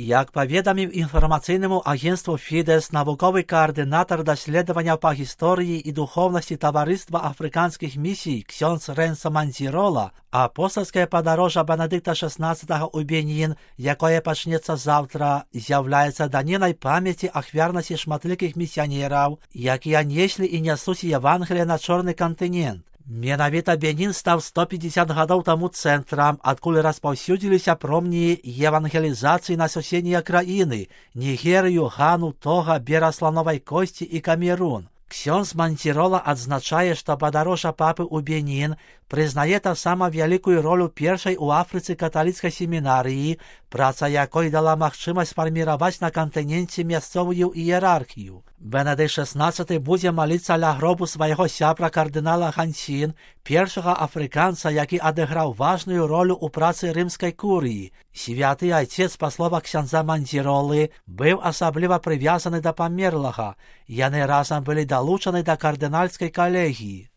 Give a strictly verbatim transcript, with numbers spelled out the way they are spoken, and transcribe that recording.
Як паведаміў інфармацыйнаму агенству Фідэс навуковы каардынатар даследаванняў па гісторыі і духоўнасці таварыства афрыканскіх місій ксёндз Рэнса Мандзірола, апостальскае падарожжа Бенедыкта шаснаццатага ў Бенін, якое пачнецца заўтра, з'яўляецца данінай памяці ахвярнасці шматлікіх місіянераў, якія неслі і нясуць Евангелие на чорны кантынент. Менавіта Бенін стаў сто пятьдесят гадоў таму цэнтрам, адкуль распаўсюдзіліся промні евангелізацыі на суседнія краіны – Нігерыю, Гану, Тога, бераг Слановай Косці і Камерун. Ксёндз Мандзірола адзначае, што падарожжа папы ў Бенін прызнае таксама вялікую ролю першай у Афрыцы каталіцкай семінарыі, праца якой дала магчымасць фарміраваць на кантыненце мясцовую іерархію. Бенедыкт шаснаццаты будзе маліцца ля гробу свайго сябра кардынала Хансін, першага афрыканца, які адыграў важную ролю ў працы рымскай курыі. Святы айцец, па словах ксяндза Мандзіролы, быў асабліва прывязаны да памерлага. Яны разам былі далучаны да кардынальскай калегіі.